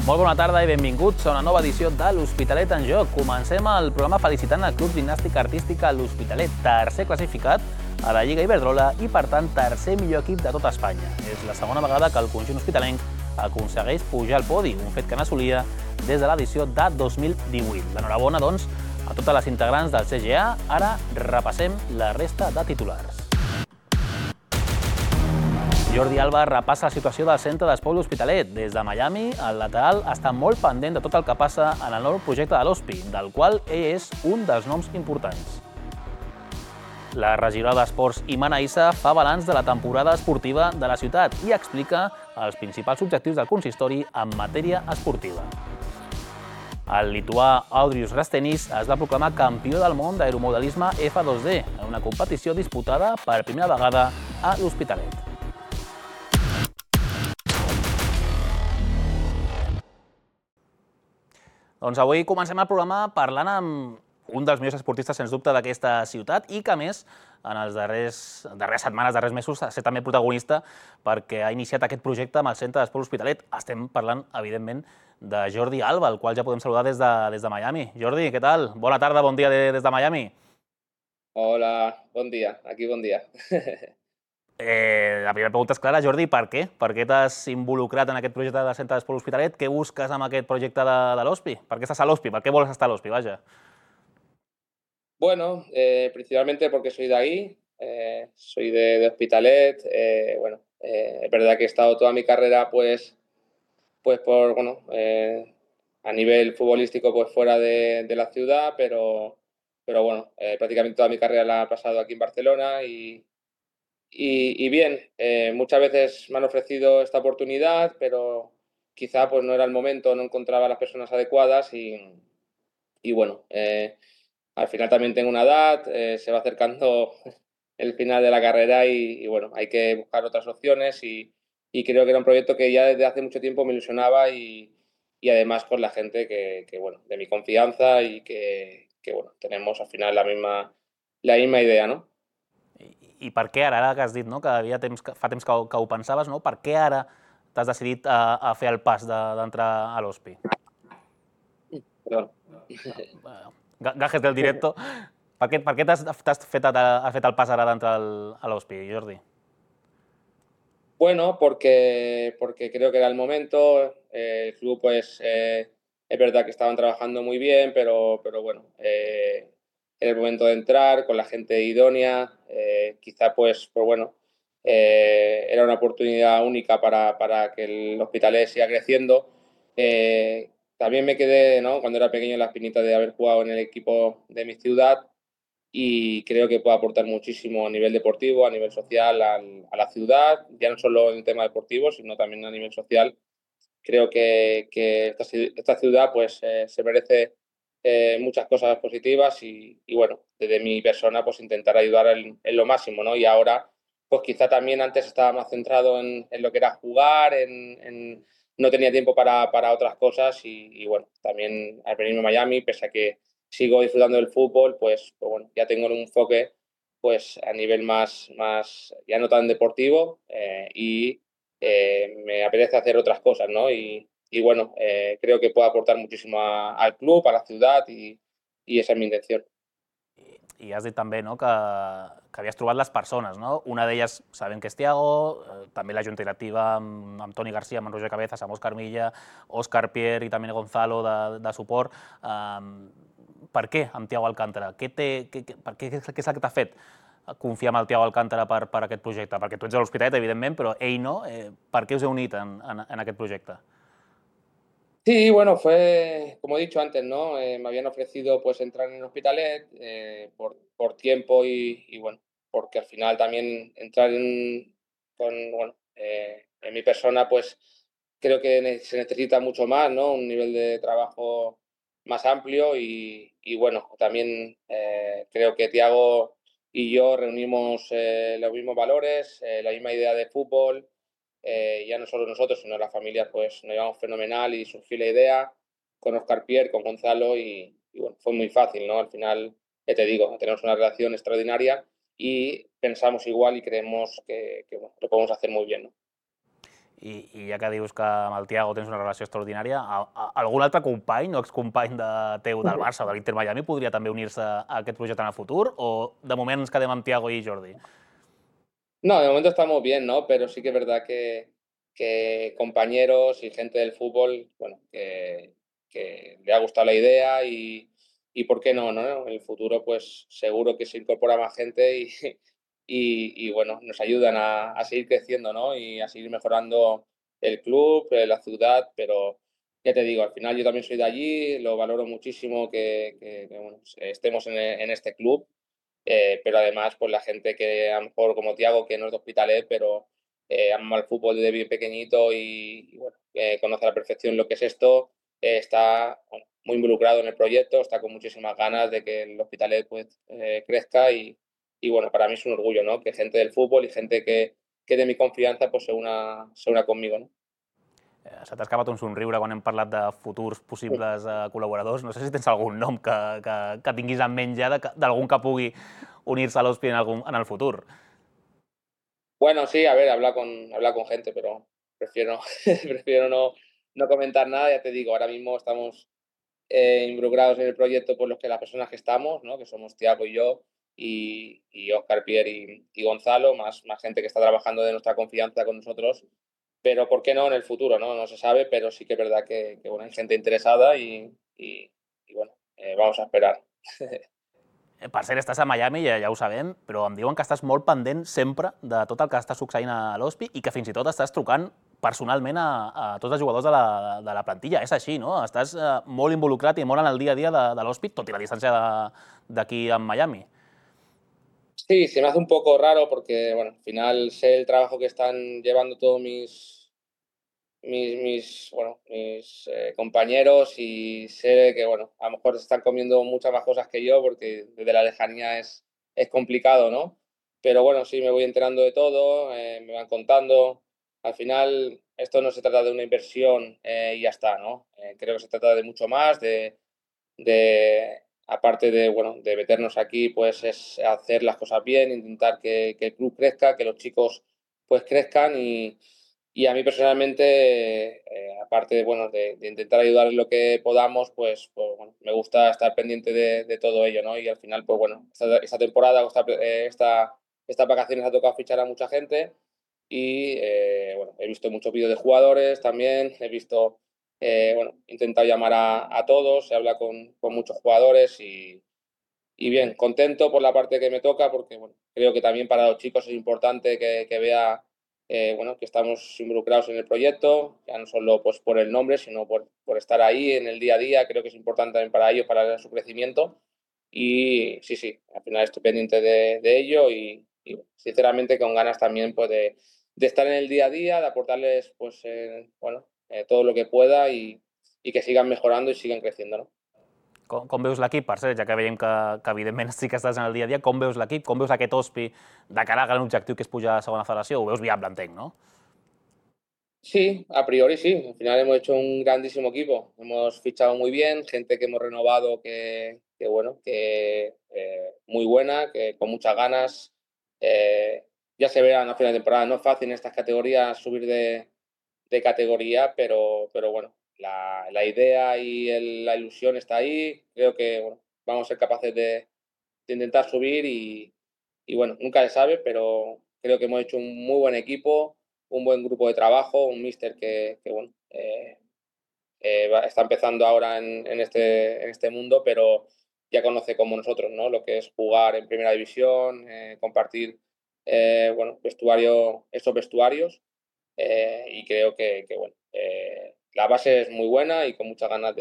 Molt bona tarda i benvinguts a una nova edició de l'Hospitalet en Joc. Comencem el programa felicitant el Club Gimnàstica Artística L'Hospitalet, tercer classificat a la Lliga Iberdrola i, per tant, tercer millor equip de tot Espanya. És la segona vegada que el conjunt hospitalenc aconsegueix pujar al podi, un fet que n'assolia des de l'edició de 2018. L'enhorabona, doncs, a totes les integrants del CGA. Ara repassem la resta de titulars. Jordi Alba repassa la situació del centre d'esport L'Hospitalet. Des de Miami, el lateral està molt pendent de tot el que passa en el nou projecte de l'Hospi, del qual ell és un dels noms importants. La regidora d'Esports, Imana Issa, fa balanç de la temporada esportiva de la ciutat i explica els principals objectius del consistori en matèria esportiva. El lituà Audrius Rastenis es va proclamar campió del món d'aeromodelisme F2D en una competició disputada per primera vegada a l'Hospitalet. Doncs avui comencem el programa parlant amb un dels millors esportistes, sens dubte, d'aquesta ciutat i que, a més, en les darreres setmanes, darrers mesos, ha estat també protagonista perquè ha iniciat aquest projecte amb el Centre d'Esport L'Hospitalet. Estem parlant, evidentment, de Jordi Alba, el qual ja podem saludar des de Miami. Jordi, què tal? Bona tarda, bon dia des de Miami. Hola, bon dia. Aquí bon dia. La primera pregunta és clara, Jordi, per què? Per què t'has involucrat en aquest projecte del Centre d'Esport L'Hospitalet? Què busques amb aquest projecte de l'Hospi? Per què estàs a l'Hospi? Per què vols estar a l'Hospi, vaja? Bueno, principalmente porque soy de ahí, soy de Hospitalet. Es verdad que he estado toda mi carrera, pues a nivel futbolístico, pues fuera de la ciudad, pero bueno, prácticamente toda mi carrera la he pasado aquí en Barcelona y bien, muchas veces me han ofrecido esta oportunidad, pero quizá pues no era el momento, no encontraba las personas adecuadas y bueno, al final también tengo una edad, se va acercando el final de la carrera y bueno, hay que buscar otras opciones y creo que era un proyecto que ya desde hace mucho tiempo me ilusionaba y además con la gente que bueno, de mi confianza y que bueno, tenemos al final la misma idea, ¿no? I per què ara que has dit, no, que fa temps que ho pensaves, no? Per què ara t'has decidit a fer el pas d'entrar a l'Hospi? Perdón. Gajes del directo. Per què has fet el pas ara d'entrar a l'Hospi, Jordi? Bueno, porque creo que era el momento. El club, pues, es verdad que estaban trabajando muy bien, pero bueno, era el momento de entrar con la gente idónea. Quizá, pues bueno, era una oportunidad única para que el Hospitalet siga creciendo. También me quedé, ¿no?, cuando era pequeño, la espinita de haber jugado en el equipo de mi ciudad y creo que puede aportar muchísimo a nivel deportivo, a nivel social a la ciudad, ya no solo en el tema deportivo, sino también a nivel social. Creo que esta ciudad pues, se merece muchas cosas positivas y bueno, desde mi persona pues intentar ayudar en lo máximo, ¿no? Y ahora pues quizá también antes estaba más centrado en lo que era jugar, no tenía tiempo para otras cosas y bueno, también al venirme a Miami, pese a que sigo disfrutando del fútbol, pues bueno, ya tengo un enfoque pues a nivel más ya no tan deportivo me apetece hacer otras cosas, ¿no? Y bueno, creo que puedo aportar muchísimo al club, a la ciudad y esa es mi intención. I has dit també, no, que havies trobat les persones, no? Una d'elles sabem que és Thiago, també la junta directiva amb Toni Garcia, amb Roger Cabezas, amb Òscar Milla, Òscar Pierre i també Gonzalo de suport. Per què amb Thiago Alcántara? Què és el que t'ha fet confiar en el Thiago Alcántara per aquest projecte? Perquè tu ets de l'Hospitalet, evidentment, però ell no. Per què us heu unit en aquest projecte? Sí, bueno, fue, como he dicho antes, ¿no? Me habían ofrecido pues entrar en el Hospitalet por tiempo y bueno, porque al final también entrar en mi persona pues creo que se necesita mucho más, ¿no? Un nivel de trabajo más amplio y bueno, también creo que Thiago y yo reunimos los mismos valores, la misma idea de fútbol. Ya no solo nosotros, sino la familia, pues nos llevamos fenomenal y surgió la idea con Oscar Pierre, con Gonzalo y bueno, fue muy fácil, ¿no? Al final, ya te digo, tenemos una relación extraordinaria y pensamos igual y creemos que bueno, lo podemos hacer muy bien, ¿no? I ja que dius que amb el Thiago tens una relació extraordinària, algun altre company o excompany teu del Barça o de l'Inter Miami podria també unir-se a aquest projecte en el futur? O de moment ens quedem amb Thiago i Jordi? No, de momento estamos bien, ¿no? Pero sí que es verdad que compañeros y gente del fútbol, bueno, que le ha gustado la idea y ¿por qué no, no? En el futuro, pues seguro que se incorpora más gente y bueno, nos ayudan a seguir creciendo, ¿no? Y a seguir mejorando el club, la ciudad, pero ya te digo, al final yo también soy de allí, lo valoro muchísimo que, bueno, estemos en este club, pero además, pues la gente que a lo mejor como Tiago, que no es de Hospitalet, pero ama el fútbol desde bien pequeñito y bueno, conoce a la perfección lo que es esto, está bueno, muy involucrado en el proyecto, está con muchísimas ganas de que el Hospitalet pues, crezca y bueno, para mí es un orgullo, ¿no? Que gente del fútbol y gente que de mi confianza pues se una conmigo, ¿no? Se t'ha escapat un somriure quan hem parlat de futurs possibles col·laboradors. No sé si tens algun nom que tinguis en ment ja d'algun que pugui unir-se a l'Hospi en el futur. Bueno, sí, a ver, habla con gente, pero prefiero, prefiero no comentar nada, ya te digo, ahora mismo estamos involucrados en el proyecto por los que las personas que estamos, ¿no? Que somos Tiago y yo, y Oscar, Pierre y Gonzalo, más gente que está trabajando de nuestra confianza con nosotros. Pero ¿por qué no en el futuro? No, no se sabe, pero sí que es verdad que bueno, hay gente interesada y bueno, vamos a esperar. Per cert, estàs a Miami, ja ho sabem, però em diuen que estàs molt pendent sempre de tot el que està succeint a l'Hospi i que fins i tot estàs trucant personalment a tots els jugadors de la plantilla. És així, no? Estàs molt involucrat i molt en el dia a dia de l'Hospi, tot i la distància d'aquí a Miami. Sí, se me hace un poco raro porque, bueno, al final sé el trabajo que están llevando todos mis compañeros y sé que, bueno, a lo mejor se están comiendo muchas más cosas que yo porque desde la lejanía es complicado, ¿no? Pero bueno, sí me voy enterando de todo, me van contando. Al final, esto no se trata de una inversión y ya está, ¿no? Creo que se trata de mucho más, aparte de, bueno, de meternos aquí, pues es hacer las cosas bien, intentar que el club crezca, que los chicos pues crezcan y a mí personalmente, aparte de, bueno, de intentar ayudar en lo que podamos, pues, bueno, me gusta estar pendiente de todo ello, ¿no? Y al final, pues bueno, esta temporada o estas vacaciones ha tocado fichar a mucha gente y, bueno, he visto muchos vídeos de jugadores también, he visto, bueno, he intentado llamar a todos, se habla con muchos jugadores y bien, contento por la parte que me toca porque, bueno, creo que también para los chicos es importante que vea bueno, que estamos involucrados en el proyecto, ya no solo pues, por el nombre, sino por estar ahí en el día a día. Creo que es importante también para ellos, para su crecimiento. Y sí, sí, al final estoy pendiente de ello y sinceramente con ganas también pues, de estar en el día a día, de aportarles pues, bueno, todo lo que pueda y que sigan mejorando y sigan creciendo, ¿no? Com veus l'equip? Per cert, ja que veiem que evidentment sí que estàs en el dia a dia, com veus l'equip? Com veus aquest Hospi de cara al gran objectiu que és pujar a segona federació? Ho veus viable, entenc, no? Sí, a priori sí. Al final hemos hecho un grandísimo equipo. Hemos fichado muy bien, gente que hemos renovado que bueno, que muy buena, que con muchas ganas. Eh, ya se verán a final de temporada. No es fácil en estas categorías subir de categoría, pero bueno, la idea y la ilusión está ahí. Creo que bueno, vamos a ser capaces de intentar subir y bueno, nunca se sabe, pero creo que hemos hecho un muy buen equipo, un buen grupo de trabajo, un míster que bueno, está empezando ahora en este mundo, pero ya conoce como nosotros, ¿no? Lo que es jugar en primera división, compartir bueno, esos vestuarios y creo que bueno, la base es muy buena y con muchas ganas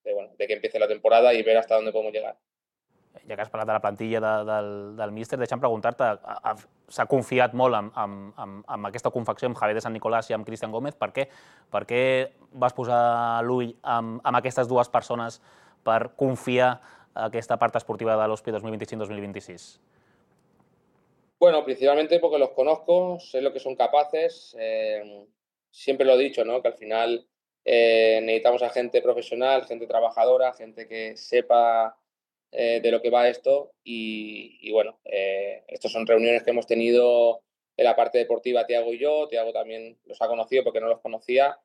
bueno, de que empiece la temporada y ver hasta dónde podemos llegar. Ja que has parlat de la plantilla del míster, deixa'm preguntar-te, s'ha confiat molt amb aquesta confecció amb Javier de San Nicolás i amb Cristian Gómez. Per què vas posar l'ull amb aquestes dues persones per confiar aquesta part esportiva de l'Hospi 2025-2026? Bueno, principalmente porque los conozco, sé lo que son capaces. Siempre lo he dicho, ¿no? Que al final necesitamos a gente profesional, gente trabajadora, gente que sepa de lo que va esto. Y bueno, estas son reuniones que hemos tenido en la parte deportiva Tiago y yo. Tiago también los ha conocido porque no los conocía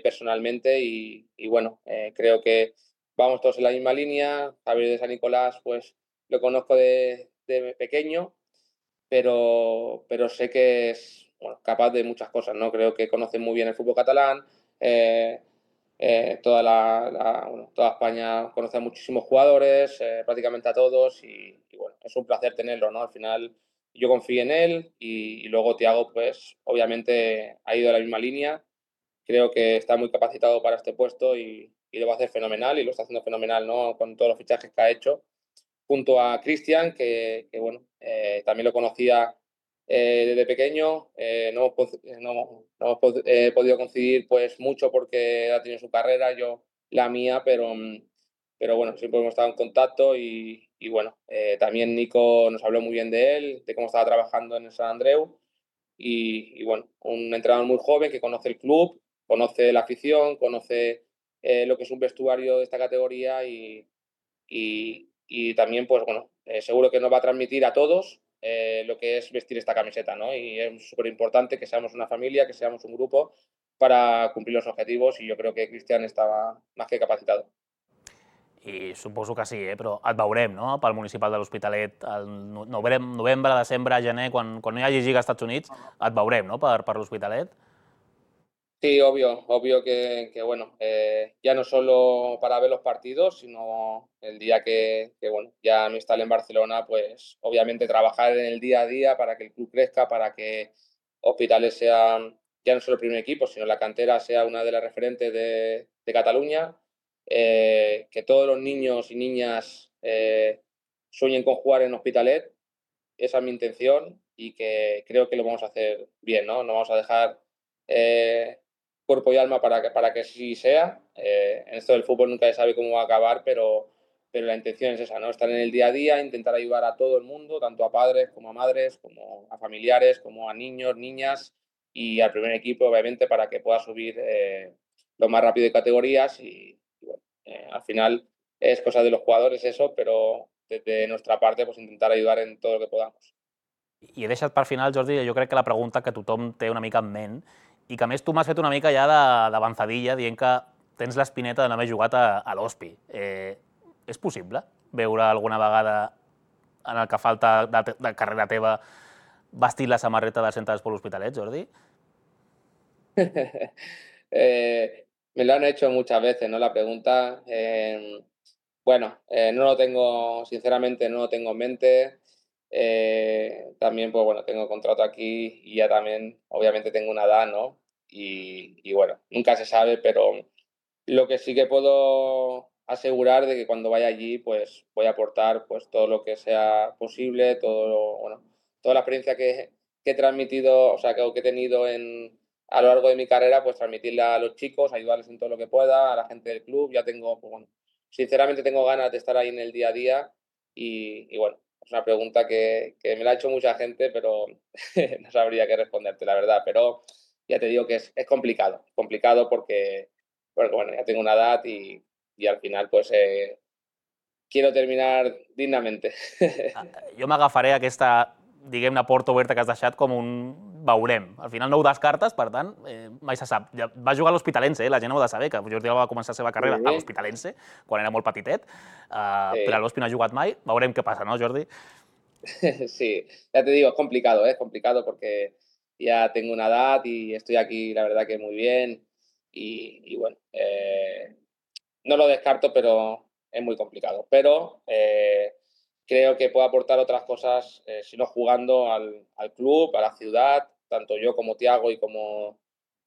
personalmente y bueno, creo que vamos todos en la misma línea. Javier de San Nicolás, pues lo conozco de pequeño, pero sé que es bueno, capaz de muchas cosas, ¿no? Creo que conoce muy bien el fútbol catalán. eh, bueno, toda España conoce a muchísimos jugadores, prácticamente a todos, y bueno, es un placer tenerlo, ¿no? Al final yo confío en él y luego Thiago, pues obviamente ha ido a la misma línea. Creo que está muy capacitado para este puesto y lo va a hacer fenomenal y lo está haciendo fenomenal, ¿no? Con todos los fichajes que ha hecho junto a Cristian, que bueno, también lo conocía desde pequeño. No hemos podido coincidir pues mucho porque ha tenido su carrera, yo la mía, pero bueno, siempre hemos estado en contacto y bueno, también Nico nos habló muy bien de él, de cómo estaba trabajando en el San Andreu y bueno, un entrenador muy joven que conoce el club, conoce la afición, conoce lo que es un vestuario de esta categoría y también, pues bueno, seguro que nos va a transmitir a todos lo que es vestir esta camiseta, ¿no? Y es súper importante que seamos una familia, que seamos un grupo para cumplir los objetivos y yo creo que Cristian estaba más que capacitado. I suposo que sí, però et veurem, no?, pel municipal de l'Hospitalet al novembre, desembre, gener, quan no hi hagi Lliga als Estats Units, et veurem, no?, per l'Hospitalet. Sí, obvio, obvio que bueno, ya no solo para ver los partidos, sino el día que bueno, ya me instalé en Barcelona, pues obviamente trabajar en el día a día para que el club crezca, para que Hospitales sea ya no solo el primer equipo, sino la cantera sea una de las referentes de Cataluña, que todos los niños y niñas sueñen con jugar en Hospitalet, esa es mi intención y que creo que lo vamos a hacer bien, ¿no? No vamos a dejar eh, cuerpo y alma para que así sea. En esto del fútbol nunca se sabe cómo va a acabar, pero la intención es esa, ¿no? Estar en el día a día, intentar ayudar a todo el mundo, tanto a padres como a madres, como a familiares, como a niños, niñas y al primer equipo, obviamente, para que pueda subir lo más rápido de categorías y bueno, al final es cosa de los jugadores eso, pero desde nuestra parte pues intentar ayudar en todo lo que podamos. I he deixat per final, Jordi, jo crec que la pregunta que tothom té una mica en ment i que a més tu m'has fet una mica ja d'avançadilla dient que tens l'espineta de no haver jugat a l'Hospi. És possible veure alguna vegada en el que falta de carrera teva vestir la samarreta del centre d'Esport L'Hospitalet, Jordi? Me lo han hecho muchas veces, ¿no? La pregunta. Bueno, no lo tengo, sinceramente, no lo tengo en mente. También, pues bueno, tengo contrato aquí y ya también, obviamente, tengo una edad, ¿no? Y bueno, nunca se sabe, pero lo que sí que puedo asegurar de que cuando vaya allí, pues voy a aportar pues todo lo que sea posible, bueno, toda la experiencia que he transmitido, o sea, que he tenido a lo largo de mi carrera, pues transmitirla a los chicos, ayudarles en todo lo que pueda, a la gente del club. Ya tengo, pues bueno, sinceramente tengo ganas de estar ahí en el día a día y bueno, es una pregunta que me la ha hecho mucha gente, pero no sabría qué responderte, la verdad. Pero ya te digo que es complicado porque bueno, ya tengo una edad y al final pues quiero terminar dignamente. Jo m'agafaré aquesta, diguem-ne, porta oberta que has deixat com un veurem. Al final no ho descartes, per tant, mai se sap. Ja va jugar a l'Hospitalense, la gent ho ha de saber, que Jordi Alba va començar la seva carrera a Sí, l'Hospitalense, quan era molt petitet, però a sí, l'Hospi no ha jugat mai. Veurem què passa, no, Jordi? sí, ya te digo, es complicado porque ya tengo una edad y estoy aquí, la verdad que muy bien y bueno, no lo descarto, pero es muy complicado. Pero creo que puedo aportar otras cosas, si no jugando al club, a la ciudad, tanto yo como Tiago y como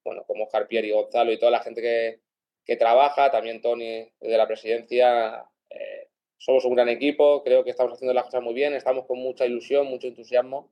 Oscar Pierre y Gonzalo y toda la gente que trabaja, también Tony de la presidencia. Somos un gran equipo, creo que estamos haciendo las cosas muy bien, estamos con mucha ilusión, mucho entusiasmo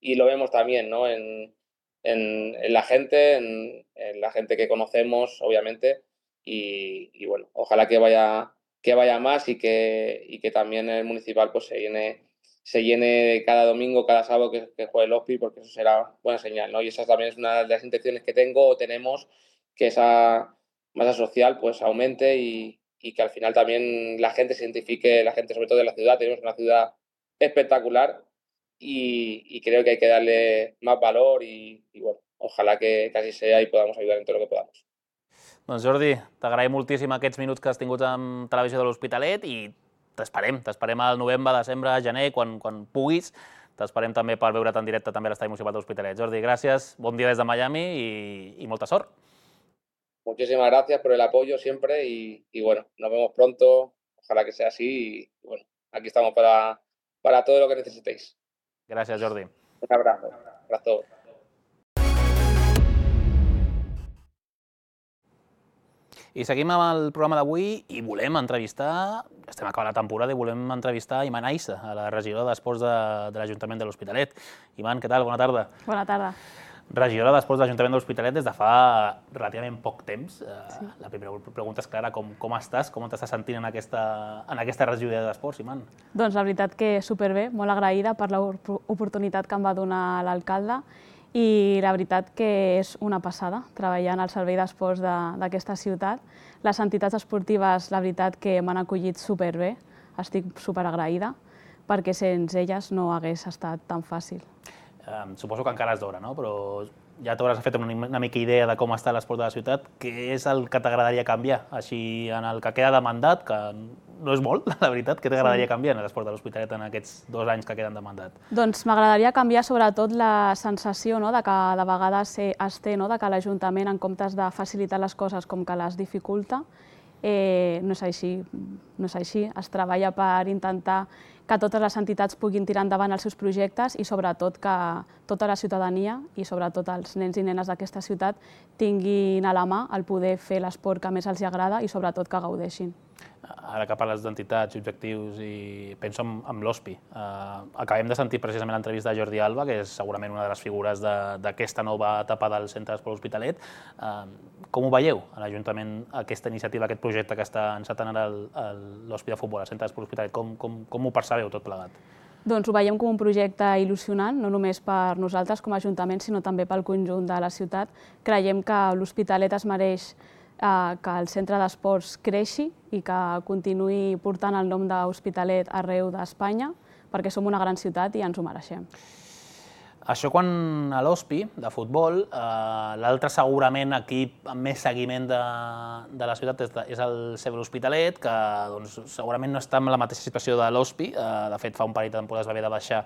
y lo vemos también, ¿no? En la gente, en la gente que conocemos, obviamente, y bueno, ojalá que vaya más y que también el municipal pues se llene cada domingo, cada sábado que juegue el OSPI, porque eso será buena señal, ¿no? Y esa también es una de las intenciones que tengo o tenemos, que esa masa social pues aumente y que al final también la gente se identifique, la gente sobre todo de la ciudad, tenemos una ciudad espectacular y creo que hay que darle más valor y bueno, ojalá que así sea y podamos ayudar en todo lo que podamos. Doncs Jordi, t'agraïm moltíssim aquests minuts que has tingut amb Televisió de l'Hospitalet i t'esperem al novembre, desembre, gener, quan puguis. T'esperem també per veure't en directe també a l'Estadi Municipal de l'Hospitalet. Jordi, gràcies, bon dia des de Miami i molta sort. Muchísimas gracias por el apoyo siempre y bueno, nos vemos pronto, ojalá que sea así y bueno, aquí estamos para todo lo que necesitéis. Gràcies, Jordi. Un abrazo. Abrazo. I seguim amb el programa d'avui i volem entrevistar, estem acabant la temporada i volem entrevistar Iman Aissa, a la regidora d'Esports de l'Ajuntament de l'Hospitalet. Iman, què tal? Bona tarda. Bona tarda. Regidora d'Esports de l'Ajuntament de l'Hospitalet des de fa relativament poc temps. Sí. La primera pregunta és clara, com estàs? Com t'estàs sentint en aquesta regidoria d'Esports, Iman? Doncs la veritat que superbé, molt agraïda per l'oportunitat que em va donar l'alcalde i la veritat que és una passada treballant al servei d'esports d'aquesta ciutat. Les entitats esportives, la veritat que m'han acollit superbé, estic superagraïda perquè sense elles no hagués estat tan fàcil. Suposo que encara és d'hora, no? Però ja t'hauràs fet una mica idea de com està l'esport de la ciutat. Què és el que t'agradaria canviar? Així, en el que queda de mandat, que no és molt, la veritat, què t'agradaria canviar en l'esport de l'Hospitalet en aquests 2 anys que queden de mandat? Doncs m'agradaria canviar sobretot la sensació de que de vegades es té de que l'Ajuntament, en comptes de facilitar les coses com que les dificulta, no és així. Es treballa per intentar que totes les entitats puguin tirar endavant els seus projectes i sobretot que tota la ciutadania i sobretot els nens i nenes d'aquesta ciutat tinguin a la mà el poder fer l'esport que més els agrada i sobretot que gaudeixin. Ara que parles d'entitats i objectius i penso en l'OSPI. Acabem de sentir precisament l'entrevista de Jordi Alba, que és segurament una de les figures d'aquesta nova etapa del Centre d'Esport Hospitalet. Com ho veieu a l'Ajuntament, aquesta iniciativa, aquest projecte que està encetant ara l'OSPI de futbol, el Centre d'Esport Hospitalet? Com ho percebeu tot plegat? Doncs ho veiem com un projecte il·lusionant, no només per nosaltres com a Ajuntament, sinó també pel conjunt de la ciutat. Creiem que l'Hospitalet es mereix que el centre d'esports creixi i que continuï portant el nom d'Hospitalet arreu d'Espanya, perquè som una gran ciutat i ens ho mereixem. Això quan a l'OSPI, de futbol, l'altre segurament equip amb més seguiment de la ciutat és el CB l'Hospitalet, que segurament no està en la mateixa situació de l'OSPI, de fet fa un parell de temporades va haver de baixar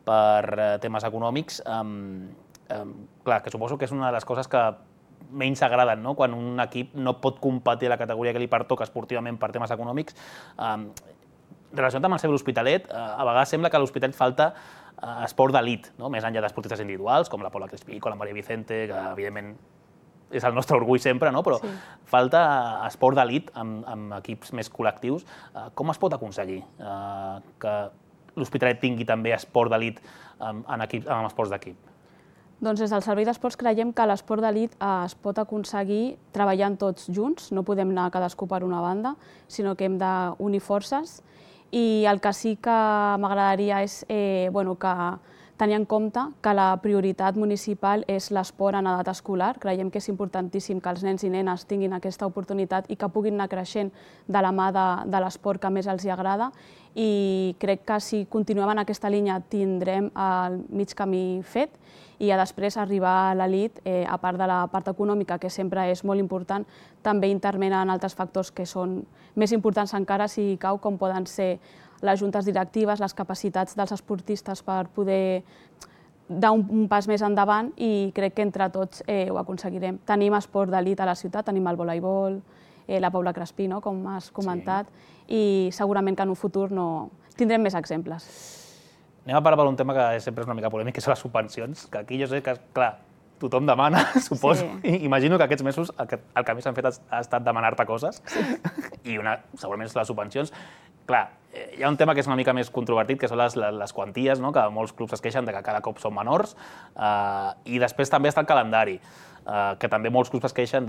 per temes econòmics. Clar, que suposo que és una de les coses que menys agraden, quan un equip no pot competir a la categoria que li pertoca esportivament per temes econòmics. Relacionat amb el CB l'Hospitalet, a vegades sembla que a l'Hospitalet falta esport d'elit, més enllà d'esportistes individuals, com la Paula Crespico, la Maria Vicente, que evidentment és el nostre orgull sempre, però falta esport d'elit amb equips més col·lectius. Com es pot aconseguir que l'Hospitalet tingui també esport d'elit amb esports d'equip? Doncs des del Servei d'Esports creiem que l'esport d'elit es pot aconseguir treballant tots junts, no podem anar cadascú per una banda, sinó que hem d'unir forces. I el que sí que m'agradaria és que tenir en compte que la prioritat municipal és l'esport en edat escolar. Creiem que és importantíssim que els nens i nenes tinguin aquesta oportunitat i que puguin anar creixent de la mà de l'esport que més els agrada. I crec que si continuem en aquesta línia tindrem el mig camí fet i després arribar a l'elit, a part de la part econòmica, que sempre és molt important, també intervenen altres factors que són més importants encara si cau, com poden ser les juntes directives, les capacitats dels esportistes per poder dar un pas més endavant i crec que entre tots ho aconseguirem. Tenim esport d'elit a la ciutat, tenim el voleibol, la Paula Crespí, com has comentat, i segurament que en un futur tindrem més exemples. Anem a parlar per un tema que sempre és una mica polèmic, que són les subvencions, que aquí jo sé que, clar, tothom demana, suposo. Imagino que aquests mesos el que més han fet ha estat demanar-te coses, i segurament són les subvencions. Clar, hi ha un tema que és una mica més controvertit, que són les quanties, que molts clubs es queixen que cada cop són menors, i després també està el calendari, que també molts clubs es queixen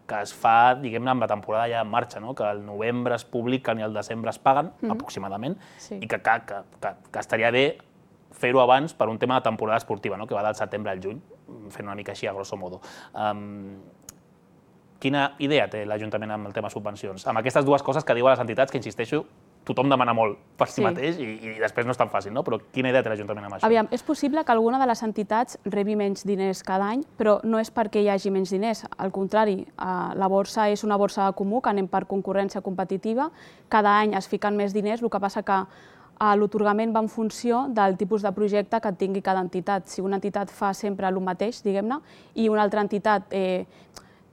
que es fa, diguem-ne, amb la temporada ja en marxa, que al novembre es publiquen i al desembre es paguen, aproximadament, i que estaria bé fer-ho abans per un tema de temporada esportiva, que va del setembre al juny, fent una mica així a grosso modo. Quina idea té l'Ajuntament amb el tema subvencions? Amb aquestes dues coses que diuen les entitats, que insisteixo, tothom demana molt per si Sí. mateix i després no és tan fàcil, no? Però quina idea té l'Ajuntament amb això? Aviam, és possible que alguna de les entitats rebi menys diners cada any, però no és perquè hi hagi menys diners. Al contrari, la borsa és una borsa comú, que anem per concurrència competitiva. Cada any es fiquen més diners, el que passa que l'atorgament va en funció del tipus de projecte que tingui cada entitat. Si una entitat fa sempre el mateix, diguem-ne, i una altra entitat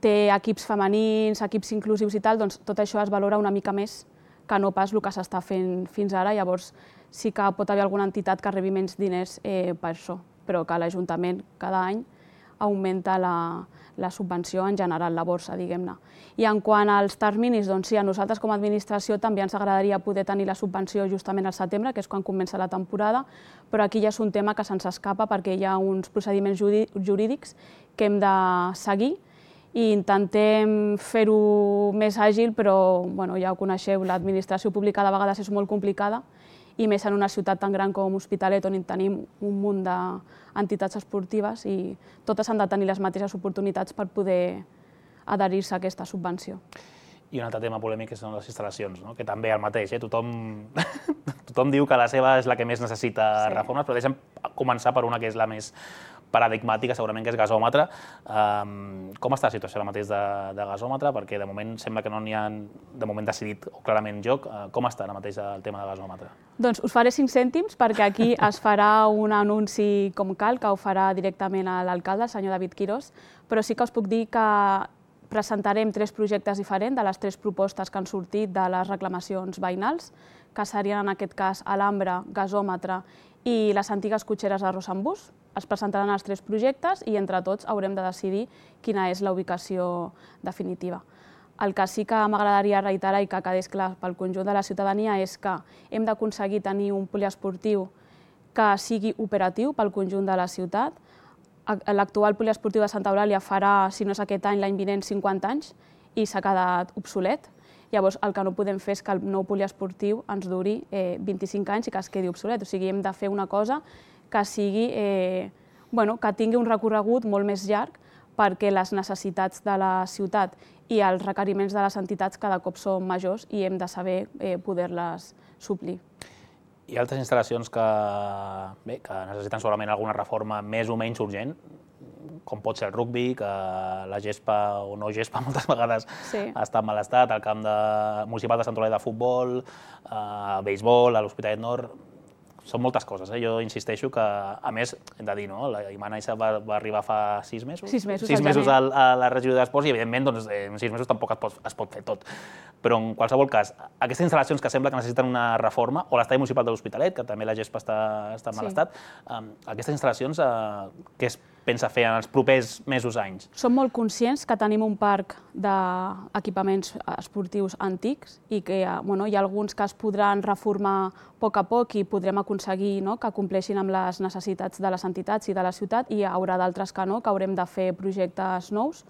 té equips femenins, equips inclusius i tal, doncs tot això es valora una mica més que no pas el que s'està fent fins ara. Llavors sí que pot haver alguna entitat que rebi menys diners per això, però que l'Ajuntament cada any augmenta la subvenció en general, la borsa, diguem-ne. I en quant als terminis, doncs sí, a nosaltres com a administració també ens agradaria poder tenir la subvenció justament al setembre, que és quan comença la temporada, però aquí ja és un tema que se'ns escapa perquè hi ha uns procediments jurídics que hem de seguir i intentem fer-ho més àgil, però ja ho coneixeu, l'administració pública de vegades és molt complicada i més en una ciutat tan gran com Hospitalet, on tenim un munt d'entitats esportives i totes han de tenir les mateixes oportunitats per poder adherir-se a aquesta subvenció. I un altre tema polèmic són les instal·lacions, que també el mateix. Tothom diu que la seva és la que més necessita reformes, però deixa'm començar per una que és la més paradigmàtica, segurament, que és gasòmetre. Com està la situació ara mateix de gasòmetre? Perquè de moment sembla que no n'hi ha de moment decidit o clarament joc. Com està ara mateix el tema de gasòmetre? Doncs us faré 5 cèntims perquè aquí es farà un anunci com cal, que ho farà directament l'alcalde, el senyor David Quirós, però sí que us puc dir que presentarem 3 projectes diferents de les 3 propostes que han sortit de les reclamacions veïnals, que serien en aquest cas alambre, gasòmetre i les antigues cotxeres de Rossembús. Es presentaran els 3 projectes i entre tots haurem de decidir quina és la ubicació definitiva. El que sí que m'agradaria reiterar i que quedés clar pel conjunt de la ciutadania és que hem d'aconseguir tenir un poliesportiu que sigui operatiu pel conjunt de la ciutat. L'actual poliesportiu de Santa Eulàlia farà, si no és aquest any, l'any vinent, 50 anys i s'ha quedat obsolet. Llavors, el que no podem fer és que el nou poliesportiu ens duri 25 anys i que es quedi obsolet. O sigui, hem de fer una cosa que tingui un recorregut molt més llarg perquè les necessitats de la ciutat i els requeriments de les entitats cada cop són majors i hem de saber poder-les suplir. Hi ha altres instal·lacions que necessiten segurament alguna reforma més o menys urgent, com pot ser el rugbi, que la gespa o no gespa moltes vegades està en mal estat, el camp municipal de Sant Eulàlia de futbol, béisbol, a l'Hospitalet Nord. Són moltes coses. Jo insisteixo que, a més, hem de dir, la Imana Issa va arribar fa 6 mesos? 6 mesos. 6 mesos a la regidoria d'Esports i, evidentment, en 6 mesos tampoc es pot fer tot. Però, en qualsevol cas, aquestes instal·lacions que sembla que necessiten una reforma, o l'estadi municipal de l'Hospitalet, que també la gespa està en mal estat, aquestes instal·lacions, què es pensa fer en els propers mesos, anys? Som molt conscients que tenim un parc d'equipaments esportius antics i que hi ha alguns que es podran reformar a poc a poc i podrem aconseguir que compleixin amb les necessitats de les entitats i de la ciutat, i hi haurà d'altres que no, que haurem de fer projectes nous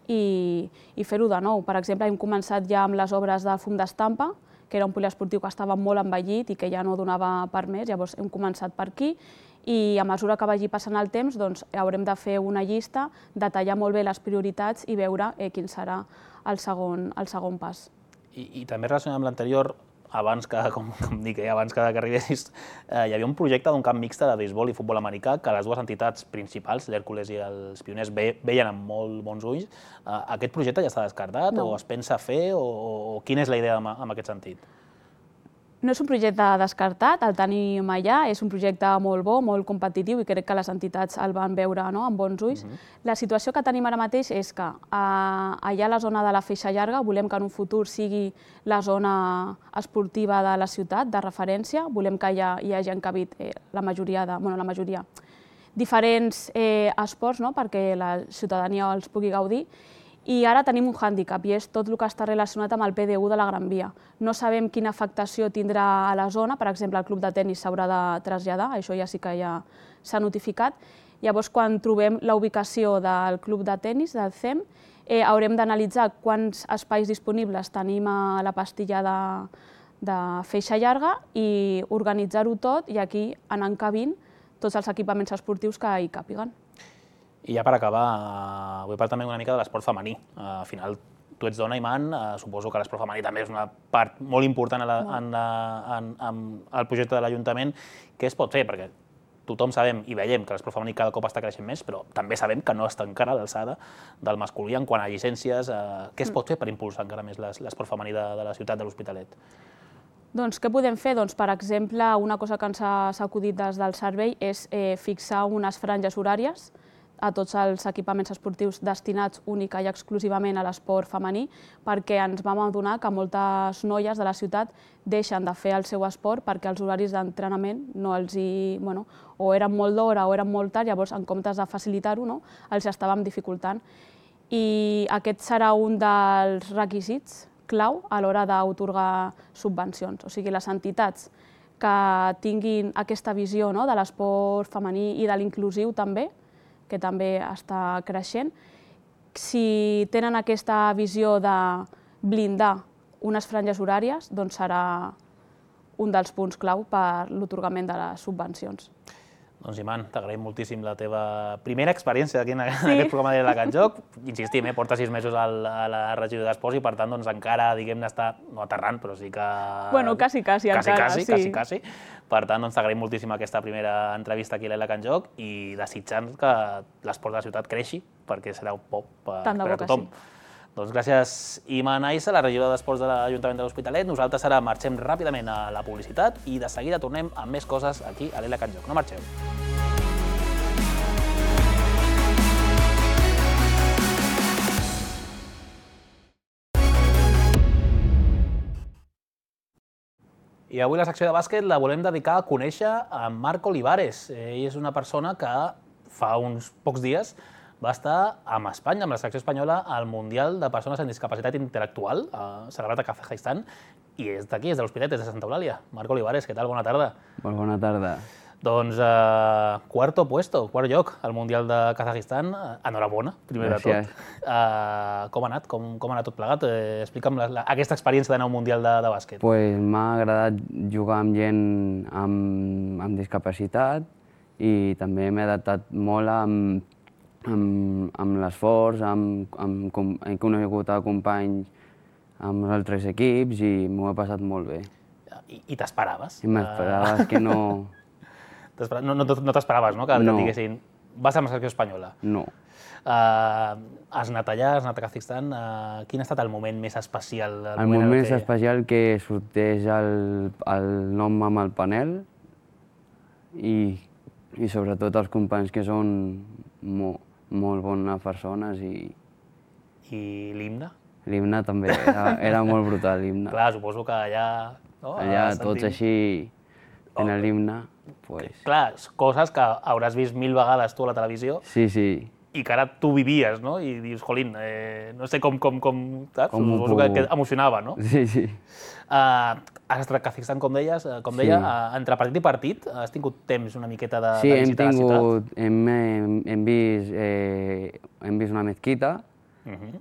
i fer-ho de nou. Per exemple, hem començat ja amb les obres del fum d'estampa, que era un poliesportiu que estava molt envellit i que ja no donava per més, llavors hem començat per aquí i a mesura que vagi passant el temps haurem de fer una llista, detallar molt bé les prioritats i veure quin serà el segon pas. I també relacionat amb l'anterior, abans que arribessis, hi havia un projecte d'un camp mixte de béisbol i futbol americà que les dues entitats principals, l'Hèrcules i els Pioners, veien amb molt bons ulls. Aquest projecte ja està descartat o es pensa fer o quina és la idea en aquest sentit? No és un projecte descartat, el tenim allà, és un projecte molt bo, molt competitiu i crec que les entitats el van veure amb bons ulls. La situació que tenim ara mateix és que allà a la zona de la Feixa Llarga volem que en un futur sigui la zona esportiva de la ciutat, de referència, volem que hi hagi encabit la majoria, diferents esports perquè la ciutadania els pugui gaudir. I ara tenim un hàndicap i és tot el que està relacionat amb el PDU de la Gran Via. No sabem quina afectació tindrà a la zona, per exemple, el club de tenis s'haurà de traslladar, això ja sí que ja s'ha notificat. Llavors, quan trobem la ubicació del club de tenis, del CEM, haurem d'analitzar quants espais disponibles tenim a la pastilla de Feixa Llarga i organitzar-ho tot i aquí anar encabint tots els equipaments esportius que hi càpiguen. I ja per acabar, vull parlar també una mica de l'esport femení. Al final, tu ets dona, Iman, suposo que l'esport femení també és una part molt important al projecte de l'Ajuntament. Què es pot fer? Perquè tothom sabem i veiem que l'esport femení cada cop està creixent més, però també sabem que no està encara a l'alçada del masculí en quant a llicències. Què es pot fer per impulsar encara més l'esport femení de la ciutat de l'Hospitalet? Doncs què podem fer? Doncs, per exemple, una cosa que ens ha acudit des del servei és fixar unes franges horàries a tots els equipaments esportius destinats única i exclusivament a l'esport femení, perquè ens vam adonar que moltes noies de la ciutat deixen de fer el seu esport perquè els horaris d'entrenament no els o eren molt d'hora o eren molt tard, llavors en comptes de facilitar-ho, els estàvem dificultant. I aquest serà un dels requisits clau a l'hora d'atorgar subvencions. O sigui, les entitats que tinguin aquesta visió de l'esport femení i de l'inclusiu també, que també està creixent, si tenen aquesta visió de blindar unes franges horàries, doncs serà un dels punts clau per l'atorgament de les subvencions. Doncs, Iman, t'agraïm moltíssim la teva primera experiència aquí en aquest programa de la Catjoc. Insistim, porta 6 mesos a la regió d'Esports i, per tant, encara, diguem-ne, està, no aterrant, però sí que... Bueno, quasi encara, sí. Per tant, t'agraïm moltíssim aquesta primera entrevista aquí a la Catjoc i desitjant que l'esport de la ciutat creixi, perquè serà un pop per a tothom. Doncs gràcies, Iman Aissa, la regidora d'Esports de l'Ajuntament de l'Hospitalet. Nosaltres ara marxem ràpidament a la publicitat i de seguida tornem amb més coses aquí a l'Ela Catjoc. No marxeu. I avui la secció de bàsquet la volem dedicar a conèixer a Marc Olivares. Ell és una persona que fa uns pocs dies va estar amb Espanya, amb la selecció espanyola, al Mundial de Persones amb Discapacitat Intel·lectual, celebrat a Kazajistan, i és d'aquí, és de l'Hospitalet, és de Santa Eulàlia. Marc Olivares, què tal? Bona tarda. Molt bona tarda. Doncs quart lloc al Mundial de Kazajistan. Enhorabona, primer de tot. Com ha anat? Com ha anat tot plegat? Explica'm aquesta experiència d'anar a un Mundial de bàsquet. M'ha agradat jugar amb gent amb discapacitat i també m'he adaptat molt amb l'esforç, he conegut companys amb els altres equips i m'ho he passat molt bé. I t'esperaves? I m'esperaves que no... No t'esperaves, no? Que et diguessin, vas amb la selecció espanyola. No. Has anat allà, has anat a Kazajistan. Quin ha estat el moment més especial? El moment més especial que sorteix el nom amb el panel i sobretot els companys que són molt bones persones i... I l'himne? L'himne també, era molt brutal l'himne. Clar, suposo que allà... Allà tots així tenen l'himne, doncs... Clar, coses que hauràs vist 1000 vegades tu a la televisió. Sí. I que ara tu vivies, no? I dius, jolín, no sé com suposo que emocionava, no? Sí. Has estat a Kazajistan, com deia, entre partit i partit. Has tingut temps una miqueta de visitar la ciutat? Sí, hem vist una mezquita,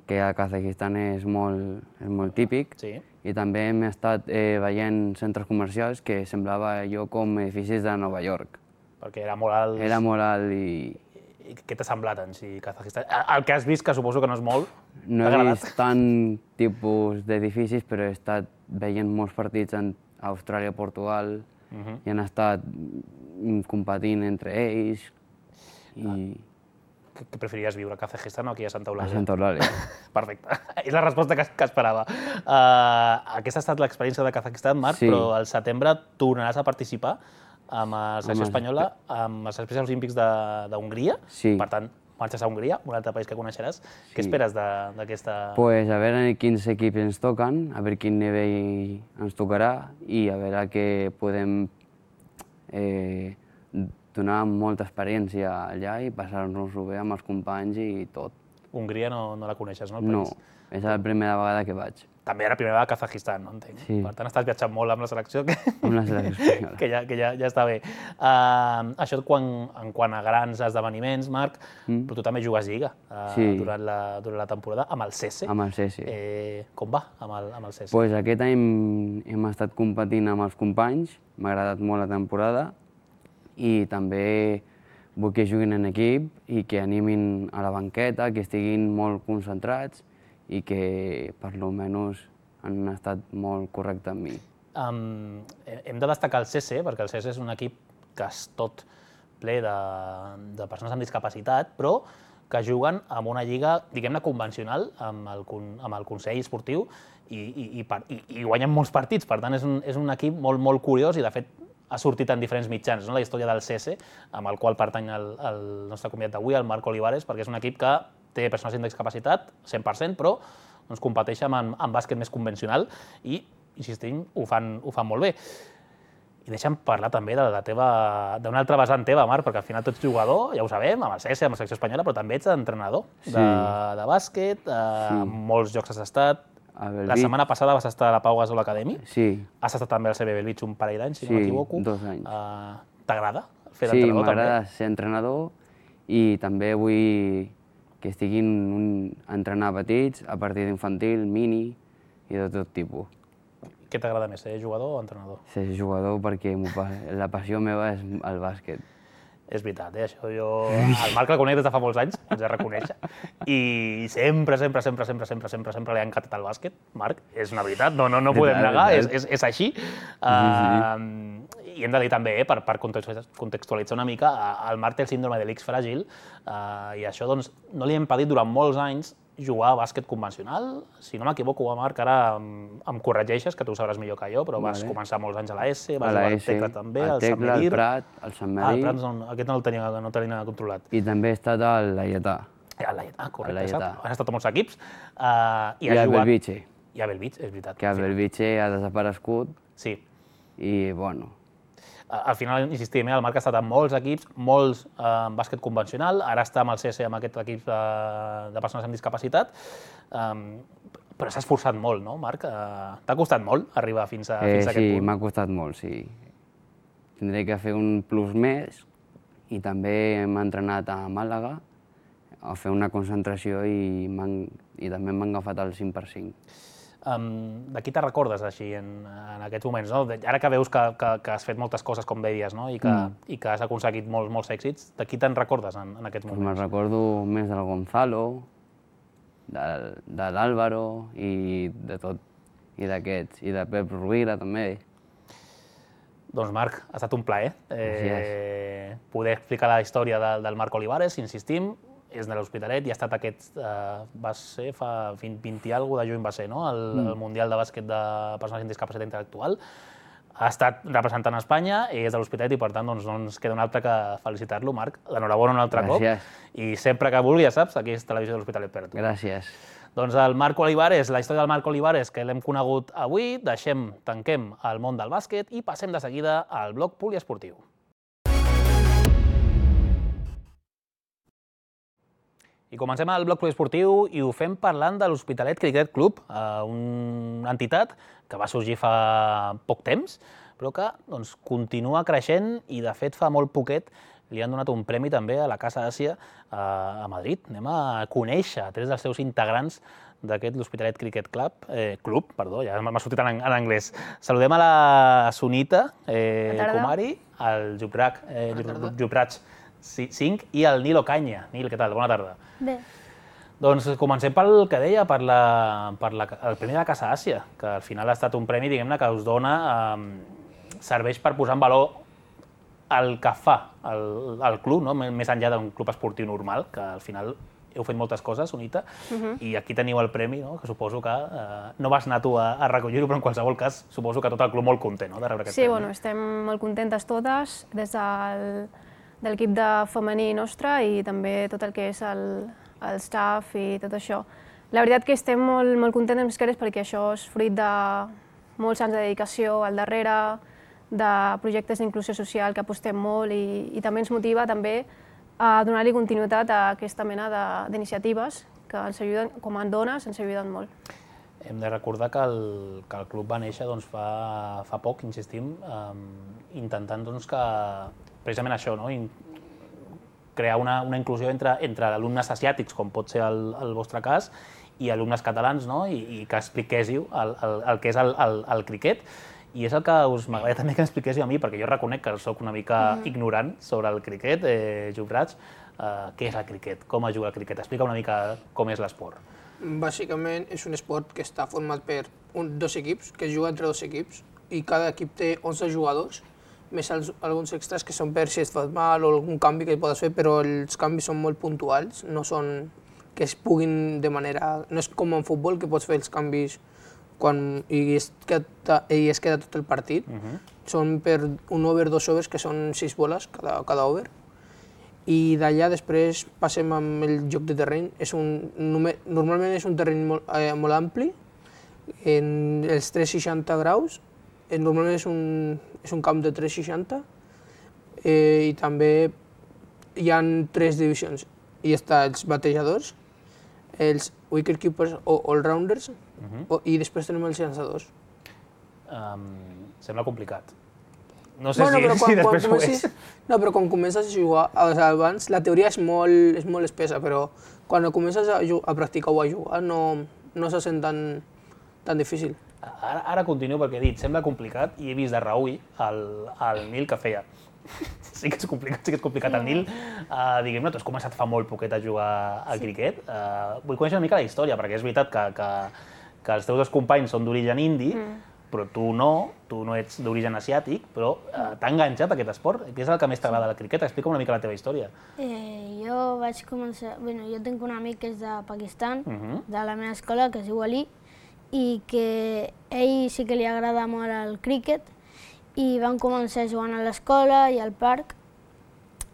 que a Kazajistan és molt típic, i també hem estat veient centres comercials que semblava allò com edificis de Nova York. Perquè era molt alt. Era molt alt i... Què t'ha semblat en si Kazajistan? El que has vist, que suposo que no és molt, no he vist tant tipus d'edificis, però he estat veient molts partits en Austràlia, Portugal, i han estat competint entre ells. Què preferiries viure, a Kazajistan o aquí a Santa Eulàlia? A Santa Eulàlia. Perfecte. És la resposta que esperava. Aquesta ha estat l'experiència de Kazajistan, Marc, però al setembre tornaràs a participar amb la selecció espanyola, amb els Espais Olímpics d'Hongria. Sí. Per tant, marxes a Hongria, un altre país que coneixeràs. Què esperes d'aquesta...? Pues a veure quins equips ens toquen, a veure quin nivell ens tocarà i a veure que podem donar molta experiència allà i passar-nos-ho bé amb els companys i tot. Hongria no la coneixes, no? No, és la primera vegada que vaig. També era la primera vegada a Kazajistan, no entenc? Sí. Per tant, estàs viatjant molt amb la selecció. Amb la selecció espanyola. Que ja està bé. Això en quant a grans esdeveniments, Marc, però tu també jugues Lliga durant la temporada amb el CESE. Amb el CESE. Com va amb el CESE? Pues aquest any hem estat competint amb els companys, m'ha agradat molt la temporada i també vull que juguin en equip i que animin a la banqueta, que estiguin molt concentrats i que per lo menys han estat molt correctes amb mi. Hem de destacar el CC, perquè el CC és un equip que és tot ple de persones amb discapacitat, però que juguen en una lliga, diguem-ne, convencional amb el Consell Esportiu i guanyen molts partits. Per tant, és un equip molt curiós i, de fet, ha sortit en diferents mitjans, la història del CC, amb el qual pertany el nostre convidat d'avui, el Marc Olivares, perquè és un equip que té persones amb discapacitat, 100%, però competeix en bàsquet més convencional i, insistim, ho fan molt bé. I deixa'm parlar també d'una altra vessant teva, Marc, perquè al final tu ets jugador, ja ho sabem, amb el CS, amb la selecció espanyola, però també ets entrenador de bàsquet, amb molts jocs has estat. La setmana passada vas estar a la Pau Gasol Academy. Sí. Has estat també al CB Bellvitge un parell d'anys, si no m'equivoco. Sí, 2 anys. T'agrada fer d'entrenador també? Sí, m'agrada ser entrenador i també vull que estiguin entrenar petits, a partir d'infantil, mini i de tot tipus. Què t'agrada més, ser jugador o entrenador? Ser jugador perquè la passió meva és el bàsquet. És veritat, això jo... El Marc el conec des de fa molts anys, haig de reconèixer, i sempre li ha encantat el bàsquet. Marc, és una veritat, no podem negar, és així. I hem de dir també, per contextualitzar una mica, el Marc té el síndrome de l'X fràgil i això no li ha impedit durant molts anys jugar a bàsquet convencional. Si no m'equivoco, Marc, ara em corregeixes, que tu ho sabràs millor que jo, però vas començar molts anys a la S, vas jugar al Tecla també, al Sant Medir. Al Prat, al Sant Medir. Al Prat aquest no el tenia controlat. I també he estat al Laietà. Al Laietà, correcte. Has estat a molts equips. I a Bellvitge. I a Bellvitge, és veritat. Que a Bellvitge ha desaparegut. Sí. I, bueno... Al final, insistim, el Marc ha estat en molts equips, molts en bàsquet convencional, ara està amb el CS, amb aquest equip de persones amb discapacitat, però s'ha esforçat molt, no, Marc? T'ha costat molt arribar fins a aquest punt? Sí, m'ha costat molt, sí. Tindré que fer un plus més i també hem entrenat a Màlaga a fer una concentració i també m'han agafat el 5x5. De qui te recordes així en aquests moments? Ara que veus que has fet moltes coses, com deies, i que has aconseguit molts èxits, de qui te'n recordes en aquests moments? Me'n recordo més del Gonzalo, de l'Àlvaro i de tot, i d'aquests, i de Pep Rovira també. Doncs Marc, ha estat un plaer poder explicar la història del Marc Olivares, insistim, és de l'Hospitalet i ha estat va ser fa 20 i alguna de juny va ser, no? El Mundial de Bàsquet de Persones amb Discapacitat Intel·lectual. Ha estat representant Espanya, és de l'Hospitalet i per tant no ens queda un altre que felicitar-lo, Marc. L'enhorabona un altre cop. I sempre que vulgui, ja saps, aquí és Televisió de l'Hospitalet per a tu. Gràcies. Doncs el Marc Olivares, la història del Marc Olivares que l'hem conegut avui, tanquem el món del bàsquet i passem de seguida al bloc poliesportiu. I comencem el bloc poliesportiu i ho fem parlant de l'Hospitalet Cricket Club, una entitat que va sorgir fa poc temps, però que continua creixent i, de fet, fa molt poquet li han donat un premi també a la Casa Àsia a Madrid. Anem a conèixer 3 dels seus integrants d'aquest l'Hospitalet Cricket Club, ja m'ha sortit en anglès. Saludem a la Sunita Kumari, el Jubraj Singh i el Nil Ocaña. Nil, què tal? Bona tarda. Bé. Doncs comencem pel que deia, el Premi de la Casa Àsia, que al final ha estat un premi, diguem-ne, que us dona, serveix per posar en valor el que fa el club, més enllà d'un club esportiu normal, que al final heu fet moltes coses, Sunita, i aquí teniu el premi, que suposo que no vas anar tu a recollir-ho, però en qualsevol cas suposo que tot el club molt content de rebre aquest premi. Sí, bueno, estem molt contentes totes, des de l'equip de femení nostre i també tot el que és el staff i tot això. La veritat que estem molt contents més que res perquè això és fruit de molts anys de dedicació al darrere, de projectes d'inclusió social que apostem molt i també ens motiva també a donar-li continuïtat a aquesta mena d'iniciatives que ens ajuden, com a dones, ens ajuden molt. Hem de recordar que el club va néixer fa poc, insistim, intentant que precisament això, crear una inclusió entre alumnes asiàtics, com pot ser el vostre cas, i alumnes catalans, i que expliquéssiu el que és el criquet. I és el que m'agradaria també que m'expliquéssiu a mi, perquè jo reconec que soc una mica ignorant sobre el criquet. Jubraj, què és el criquet? Com es juga el criquet? Explica una mica com és l'esport. Bàsicament és un esport que està format per dos equips, que es juga entre dos equips, i cada equip té 11 jugadors, més alguns extras que són per si es fa mal o algun canvi que podes fer, però els canvis són molt puntuals, no són que es puguin de manera... No és com en futbol, que pots fer els canvis i es queda tot el partit. Són per un over, dos overs, que són 6 boles cada over. I d'allà després passem amb el joc de terreny. Normalment és un terreny molt ampli, en els 360 graus. Normalment és un camp de 360 i també hi ha 3 divisions. Hi ha els batejadors, els wicketkeepers o all-rounders i després tenim els llançadors. Sembla complicat. No sé si després ho és. No, però quan comences a jugar, abans la teoria és molt espessa, però quan comences a practicar o a jugar no se sent tan difícil. Ara continuo perquè he dit, sembla complicat, i he vist de reüll el Nil que feia. Sí que és complicat el Nil. Diguem-ne, tu has començat fa molt poquet a jugar a criquet. Vull conèixer una mica la història, perquè és veritat que els teus dos companys són d'origen indi, però tu no ets d'origen asiàtic, però t'ha enganxat aquest esport. Què és el que més t'agrada del criquet? Explica'm una mica la teva història. Jo vaig començar... Jo tinc un amic que és de Pakistan, de la meva escola, que es diu Ali, i que a ell sí que li agrada molt el criquet, i vam començar jugant a l'escola i al parc,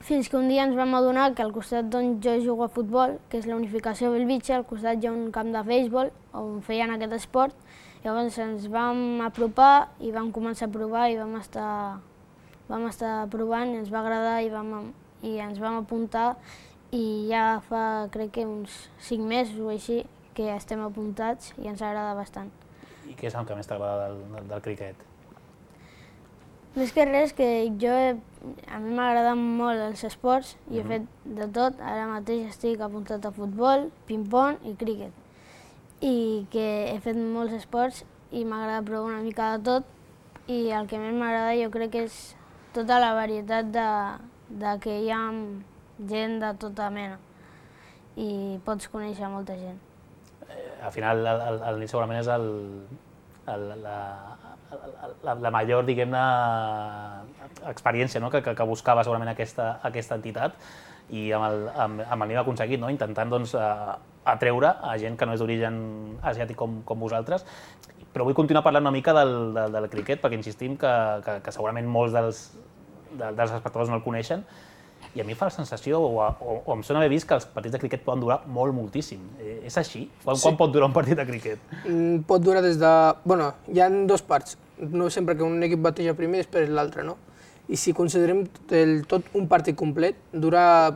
fins que un dia ens vam adonar que al costat d'on jo jugo a futbol, que és la Unificació Bellvitge, al costat hi ha un camp de béisbol on feien aquest esport. Llavors ens vam apropar i vam començar a provar i vam estar provant i ens va agradar i ens vam apuntar, i ja fa crec que uns 5 mesos o així que estem apuntats i ens agrada bastant. I què és el que més t'agrada del criquet? Més que res, que a mi m'agraden molt els esports i he fet de tot. Ara mateix estic apuntat a futbol, ping-pong i criquet. I que he fet molts esports i m'agrada provar una mica de tot, i el que més m'agrada jo crec que és tota la varietat de que hi ha gent de tota mena i pots conèixer molta gent. Al final el Nil segurament és la major, diguem-ne, experiència que buscava segurament aquesta entitat, i amb el Nil ha aconseguit, intentant atreure a gent que no és d'origen asiàtic com vosaltres. Però vull continuar parlant una mica del criquet, perquè insistim que segurament molts dels espectadors no el coneixen, i a mi fa la sensació, o em sona haver vist, que els partits de criquet poden durar moltíssim. És així? Quan pot durar un partit de criquet? Pot durar des de... Hi ha 2 parts. No sempre que un equip bateja primer i després l'altre, no? I si considerem tot un partit complet,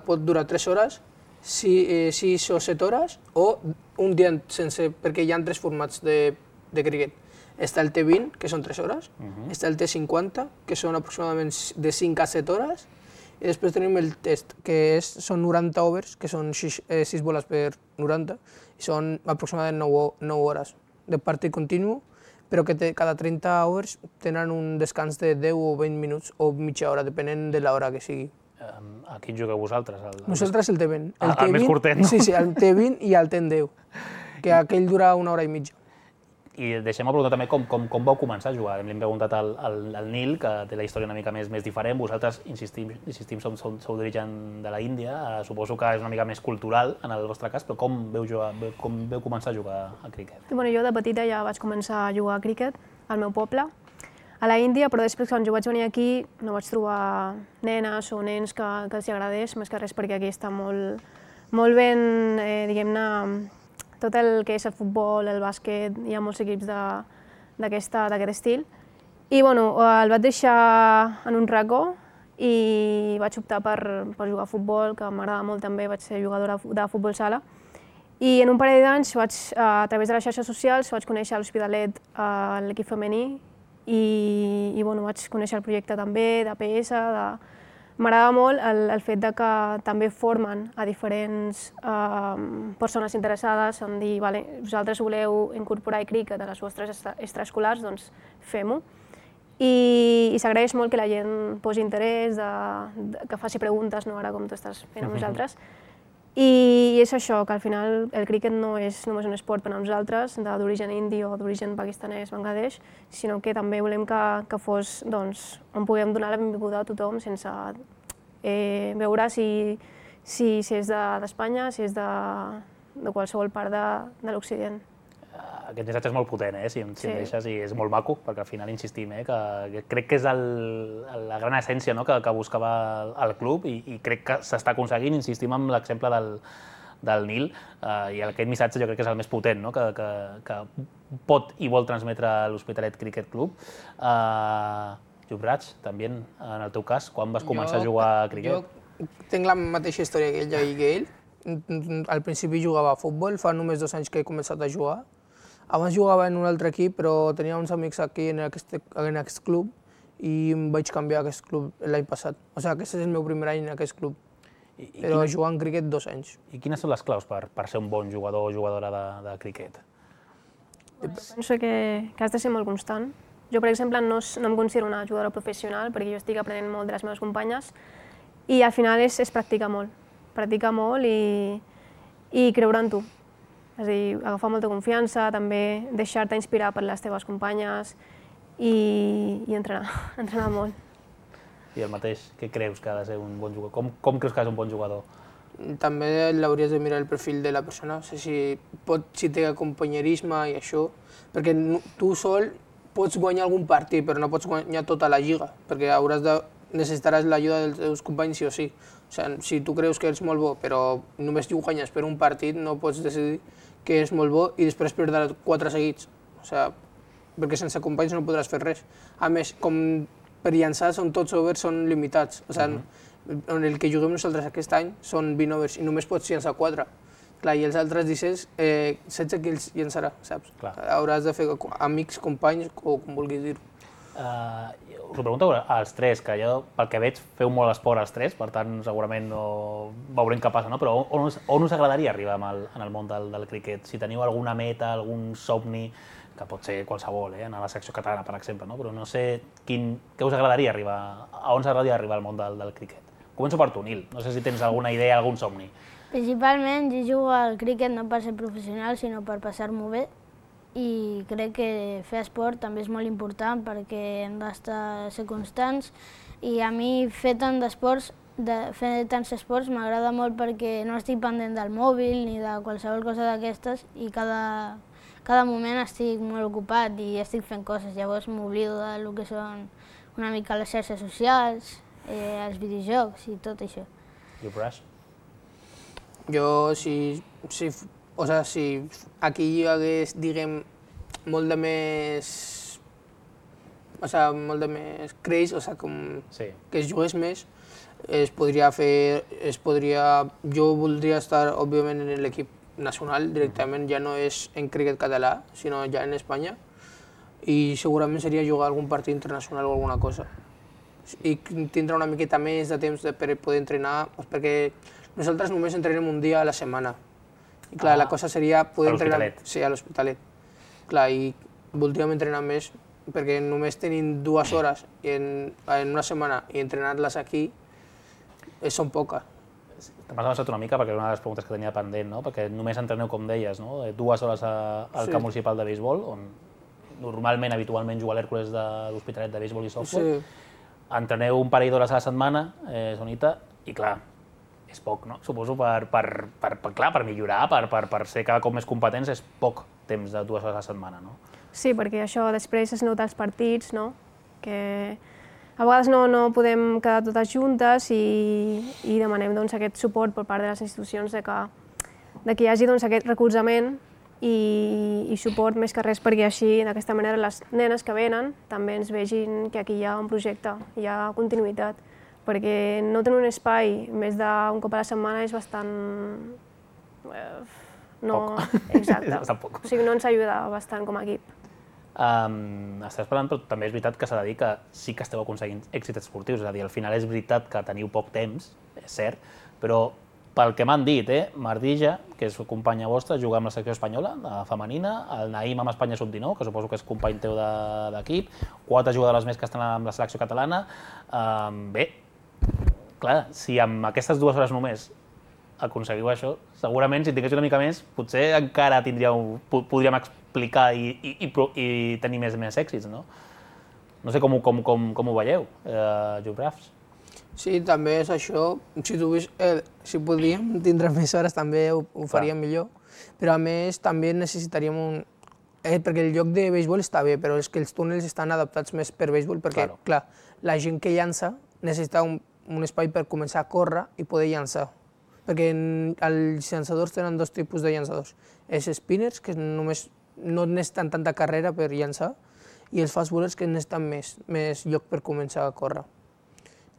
pot durar 3 hores, 6 o 7 hores, o un dia sencer, perquè hi ha 3 formats de criquet. Està el T20, que són 3 hores, està el T50, que són aproximadament de 5 a 7 hores, i després tenim el test, que són 90 overs, que són 6 boles per 90, i són aproximadament 9 hores de partit continu, però que cada 30 overs tenen un descans de 10 o 20 minuts o mitja hora, depenent de l'hora que sigui. A quin jugueu vosaltres? Nosaltres el T20. El més curtet, no? Sí, el T20 i el T10, que aquell dura 1 hora i mitja. I deixem-me preguntar també com vau començar a jugar. L'hem preguntat al Nil, que té la història una mica més diferent. Vosaltres, insistim, sou d'origen de la Índia. Suposo que és una mica més cultural en el vostre cas, però com vau començar a jugar a criquet? Jo de petita ja vaig començar a jugar a criquet al meu poble, a la Índia, però després quan jo vaig venir aquí no vaig trobar nenes o nens que els agradés, més que res perquè aquí està molt ben, diguem-ne, tot el que és el futbol, el bàsquet, hi ha molts equips d'aquest estil. I el vaig deixar en un racó i vaig optar per jugar a futbol, que m'agrada molt també, vaig ser jugadora de futbol sala. I en un parell d'anys, a través de les xarxes socials, vaig conèixer l'Hospitalet, l'equip femení, i vaig conèixer el projecte també d'APS. M'agrada molt el fet que també formen a diferents persones interessades en dir vosaltres voleu incorporar el criquet a les vostres extraescolars, doncs fem-ho. I s'agraeix molt que la gent posi interès, que faci preguntes, ara com tu estàs fent amb nosaltres. I és això, que al final el críquet no és només un esport per a nosaltres, d'origen indi o d'origen pakistanès, Bangladesh, sinó que també volem que fos on puguem donar la benvinguda a tothom sense veure si és d'Espanya, si és de qualsevol part de l'Occident. Aquest missatge és molt potent, si em deixes, i és molt maco, perquè al final insistim, que crec que és la gran essència que buscava el club, i crec que s'està aconseguint. Insistim en l'exemple del Nil, i aquest missatge jo crec que és el més potent que pot i vol transmetre l'Hospitalet Cricket Club. Yuvraj, també, en el teu cas, quan vas començar a jugar a cricket? Jo tinc la mateixa història que ella i que ell. Al principi jugava a futbol, fa només 2 anys que he començat a jugar. Abans jugava en un altre equip, però tenia uns amics aquí en aquest club i em vaig canviar a aquest club l'any passat. O sigui, aquest és el meu primer any en aquest club, però jugant cricket 2 anys. I quines són les claus per ser un bon jugador o jugadora de cricket? Penso que has de ser molt constant. Jo, per exemple, no em considero una jugadora professional perquè jo estic aprenent molt de les meves companyes i al final és practicar molt i creure en tu. És a dir, agafar molta confiança, també deixar-te inspirar per les teves companyes i entrenar molt. I el mateix, què creus que ha de ser un bon jugador? Com creus que ha de ser un bon jugador? També l'hauries de mirar el perfil de la persona, si té companyerisme i això, perquè tu sol pots guanyar algun partit, però no pots guanyar tota la lliga, perquè necessitaràs l'ajuda dels teus companys sí o sí. O sigui, si tu creus que ets molt bo, però només guanyes per un partit, no pots decidir que és molt bo i després perdre 4 seguits. O sigui, perquè sense companys no podràs fer res. A més, com per llançar són tots overs, són limitats. O sigui, en el que juguem nosaltres aquest any són 20 overs i només pots llançar 4. Clar, i els altres 16 que ells llançarà, saps? Hauràs de fer amics, companys, o com vulguis dir-ho. Us ho pregunto als 3, que jo, pel que veig, feu molt esport als 3, per tant, segurament veurem què passa, no? Però on us agradaria arribar en el món del cricket? Si teniu alguna meta, algun somni, que pot ser qualsevol, a la secció catalana, per exemple, no? Però no sé què us agradaria arribar, a on us agradaria arribar al món del cricket. Començo per tu, Nil. No sé si tens alguna idea, algun somni. Principalment, jo jugo al cricket no per ser professional, sinó per passar-m'ho bé. I crec que fer esport també és molt important perquè hem de ser constants i a mi fer tants esports m'agrada molt perquè no estic pendent del mòbil ni de qualsevol cosa d'aquestes i cada moment estic molt ocupat i estic fent coses, llavors m'oblido del que són una mica les xarxes socials, els videojocs i tot això. Yuvraj? Jo, si aquí hi hagués, diguem, molt de més creix, que es jugués més, jo voldria estar, òbviament, en l'equip nacional directament, ja no és en cricket català, sinó ja en Espanya, i segurament seria jugar algun partit internacional o alguna cosa. I tindre una miqueta més de temps per poder entrenar, perquè nosaltres només entrenem un dia a la setmana. I clar, la cosa seria poder entrenar... A l'Hospitalet? Sí, a l'Hospitalet. Clar, i voldríem entrenar més, perquè només tenim 2 hores en una setmana i entrenar-les aquí són poques. M'has avançat una mica perquè era una de les preguntes que tenia pendent, no? Perquè només entreneu, com deies, 2 hores al camp municipal de béisbol, on normalment, habitualment, juga l'Hèrcules de l'Hospitalet de béisbol i softball. Entreneu un parell d'hores a la setmana, Sonita, i clar, és poc, no? Suposo per millorar, per ser cada cop més competents, és poc temps de 2 hores a la setmana, no? Sí, perquè això després es nota als partits, no? Que a vegades no podem quedar totes juntes i demanem aquest suport per part de les institucions que hi hagi aquest recolzament i suport més que res perquè així, d'aquesta manera, les nenes que venen també ens vegin que aquí hi ha un projecte, hi ha continuïtat, perquè no tenir un espai més d'un cop a la setmana és bastant... Poc. Exacte. És bastant poc. O sigui, no ens ajuda bastant com a equip. Estàs parlant, però també és veritat que s'ha de dir que sí que esteu aconseguint èxits esportius, és a dir, al final és veritat que teniu poc temps, és cert, però pel que m'han dit, Mardija, que és companya vostra, juga amb la secció espanyola, femenina, el Naïm amb Espanya Sub-19, que suposo que és company teu d'equip, 4 jugadores més que estan amb la selecció catalana. Bé, clar, si amb aquestes 2 hores només aconseguiu això, segurament si tingués una mica més, potser encara podríem explicar i tenir més èxits, no? No sé com ho veieu, Jobrafs. Sí, també és això. Si podíem tindre més hores també ho faríem millor, però a més també necessitaríem perquè el lloc de béisbol està bé, però és que els túnels estan adaptats més per béisbol, perquè, clar, la gent que llança necessita un espai per començar a córrer i poder llançar. Perquè els llançadors tenen dos tipus de llançadors. Els spinners, que només no necessiten tanta carrera per llançar, i els fast bowlers, que necessiten més lloc per començar a córrer.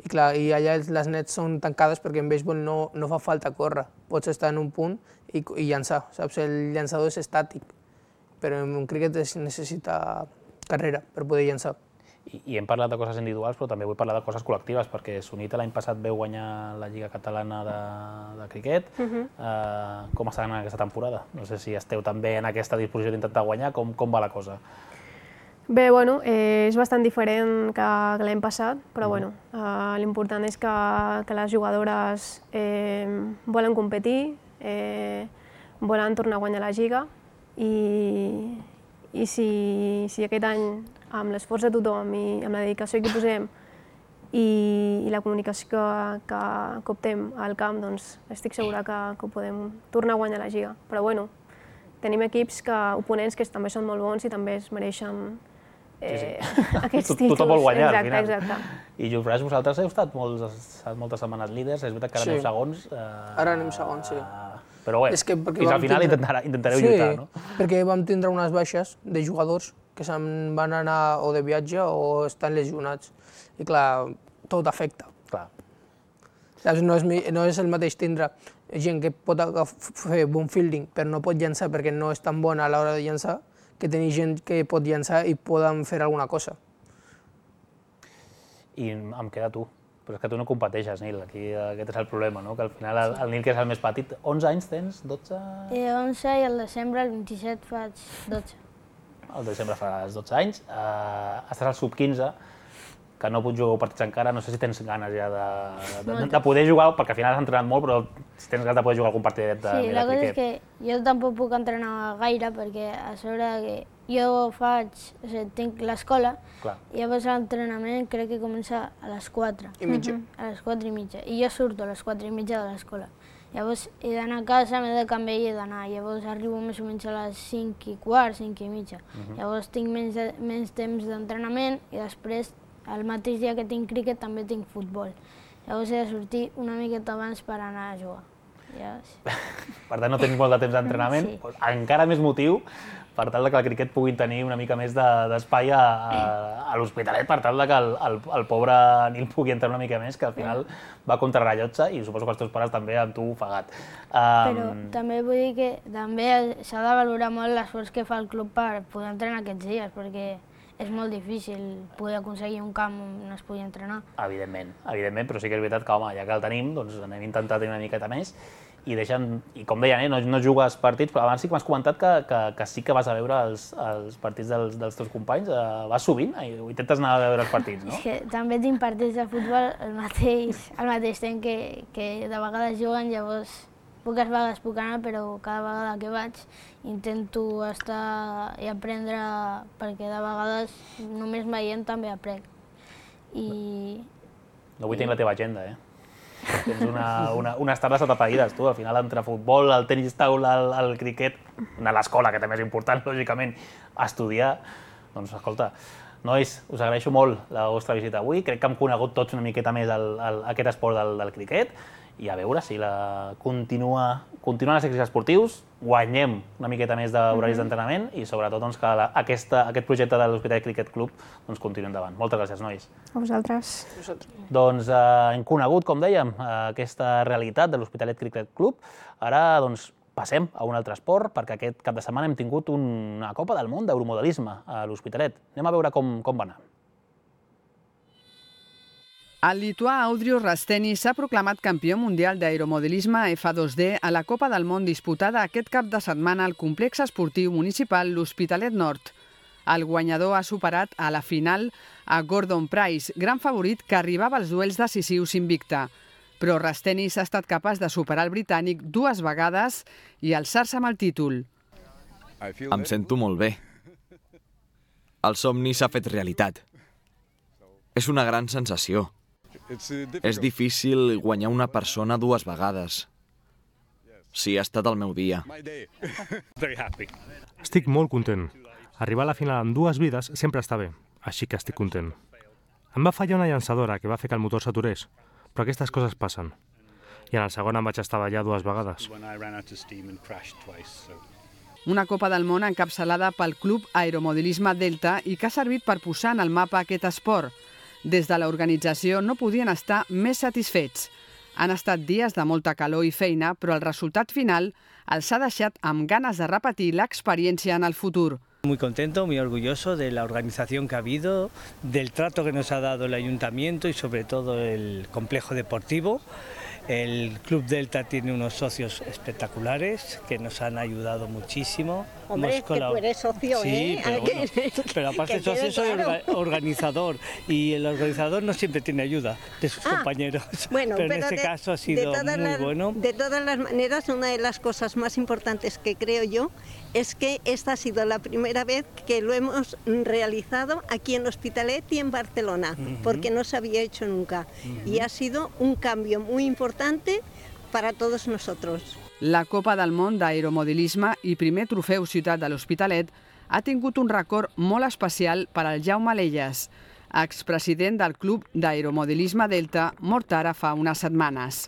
I clar, i allà les nets són tancades perquè en béisbol no fa falta córrer. Pots estar en un punt i llançar, saps? El llançador és estàtic, però en un cricket es necessita carrera per poder llançar. I hem parlat de coses individuals, però també vull parlar de coses col·lectives, perquè Sunita l'any passat veu guanyar la Lliga Catalana de cricket. Com està anant aquesta temporada? No sé si esteu també en aquesta disposició d'intentar guanyar, com va la cosa? Bé, bueno, és bastant diferent que l'any passat, però bueno, l'important és que les jugadores volen competir, volen tornar a guanyar la Lliga, i si aquest any, amb l'esforç de tothom i amb la dedicació que hi posem i la comunicació que optem al camp, doncs estic segura que podem tornar a guanyar la Lliga. Però bueno, tenim oponents que també són molt bons i també es mereixen aquests títols. Tothom vol guanyar, al final. Exacte. I Jobrafs, vosaltres heu estat moltes setmanes líders, és veritat que ara aneu segons. Ara anem segons, sí. Però bé, fins al final intentareu lluitar, no? Sí, perquè vam tindre unes baixes de jugadors que se'n van anar o de viatge o estan lesionats. I clar, tot afecta. Clar. No és el mateix tindre gent que pot fer bon fielding però no pot llançar perquè no és tan bona a l'hora de llançar, que tenir gent que pot llançar i poden fer alguna cosa. I em queda tu. Però és que tu no competeixes, Nil, aquí aquest és el problema, no? Que al final el Nil, que és el més petit, 11 anys tens? 12? 11 i al desembre, el 27, faig 12. Al desembre faràs 12 anys, estàs al sub-15, que no pots jugar partits encara, no sé si tens ganes ja de poder jugar, perquè al final has entrenat molt, però si tens ganes de poder jugar algun partidet de cricket. Sí, la cosa és que jo tampoc puc entrenar gaire, perquè a sobre que jo tinc l'escola, i llavors l'entrenament crec que comença a les 4. I mitja. A les 4 i mitja. I jo surto a les 4 i mitja de l'escola. Llavors he d'anar a casa, m'he de canviar i he d'anar. Llavors arribo més o menys a les 5 i quart, 5 i mitja. Llavors tinc menys temps d'entrenament i després, el mateix dia que tinc cricket, també tinc futbol. Llavors he de sortir una miqueta abans per anar a jugar. Per tant, no tens molt de temps d'entrenament. Encara més motiu per tal que el cricket pugui tenir una mica més d'espai a l'Hospitalet, per tal que el pobre Nil pugui entrar una mica més, que al final va contra rellotge i suposo que els teus pares també amb tu ofegat. Però també vull dir que també s'ha de valorar molt l'esforç que fa el club per poder entrenar aquests dies, perquè és molt difícil poder aconseguir un camp on es pugui entrenar. Evidentment, però sí que és veritat que, home, ja que el tenim, doncs anem a intentar tenir una miqueta més i com deien, no jugues partits, però abans sí que m'has comentat que sí que vas a veure els partits dels teus companys. Vas sovint o intentes anar a veure els partits, no? És que també tinc partits de futbol al mateix temps que de vegades juguen, llavors poques vegades puc anar, però cada vegada que vaig intento estar i aprendre, perquè de vegades només veient també aprenc. No vull tenir la teva agenda, Tens unes tardes atapeïdes, tu. Al final, entre futbol, el tenis taula, el cricket, anar a l'escola, que també és important, lògicament, estudiar. Doncs, escolta, nois, us agraeixo molt la vostra visita avui. Crec que hem conegut tots una miqueta més aquest esport del cricket i a veure si continuen els èxits esportius, guanyem una miqueta més d'horaris d'entrenament i sobretot que aquest projecte de l'Hospitalet Cricket Club continuï endavant. Moltes gràcies, nois. A vosaltres. Doncs hem conegut, com dèiem, aquesta realitat de l'Hospitalet Cricket Club. Ara passem a un altre esport, perquè aquest cap de setmana hem tingut una Copa del Món d'Euromodelisme a l'Hospitalet. Anem a veure com va anar. El lituà Audrius Rastenis s'ha proclamat campió mundial d'aeromodelisme F2D a la Copa del Món disputada aquest cap de setmana al complex esportiu municipal l'Hospitalet Nord. El guanyador ha superat a la final a Gordon Price, gran favorit que arribava als duels decisius invicte. Però Rastenis ha estat capaç de superar el britànic 2 vegades i alçar-se amb el títol. Em sento molt bé. El somni s'ha fet realitat. És una gran sensació. És difícil guanyar una persona 2 vegades. Sí, ha estat el meu dia. Estic molt content. Arribar a la final amb 2 vides sempre està bé, així que estic content. Em va fallar una llançadora que va fer que el motor s'aturés, però aquestes coses passen. I en el segon em vaig estavellar 2 vegades. Una Copa del Món encapçalada pel Club Aeromodelisme Delta i que ha servit per posar en el mapa aquest esport. Des de l'organització no podien estar més satisfets. Han estat dies de molta calor i feina, però el resultat final els ha deixat amb ganes de repetir l'experiència en el futur. Muy contento, muy orgulloso de la organización que ha habido, del trato que nos ha dado el ayuntamiento y sobre todo el complejo deportivo. El Club Delta tiene unos socios espectaculares que nos han ayudado muchísimo. Hombre, es que tú eres socio, sí, pero, bueno, pero aparte socio soy organizador y el organizador no siempre tiene ayuda de sus compañeros. Bueno, pero en este caso ha sido muy bueno. De todas las maneras, una de las cosas más importantes que creo yo es que esta ha sido la primera vez que lo hemos realizado aquí en Hospitalet y en Barcelona, porque no se había hecho nunca. Y ha sido un cambio muy importante para todos nosotros. La Copa del Món d'Aeromodelisme i primer trofeu Ciutat de l'Hospitalet ha tingut un record molt especial per al Jaume Lelles, expresident del Club d'Aeromodelisme Delta, mort ara fa unes setmanes.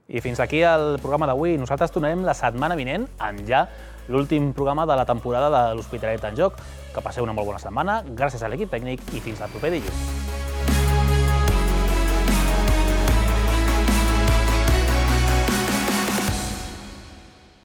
I fins aquí el programa d'avui. Nosaltres tornarem la setmana vinent amb ja l'últim programa de la temporada de l'Hospitalet en Joc. Que passeu una molt bona setmana, gràcies a l'equip tècnic i fins al proper dilluns.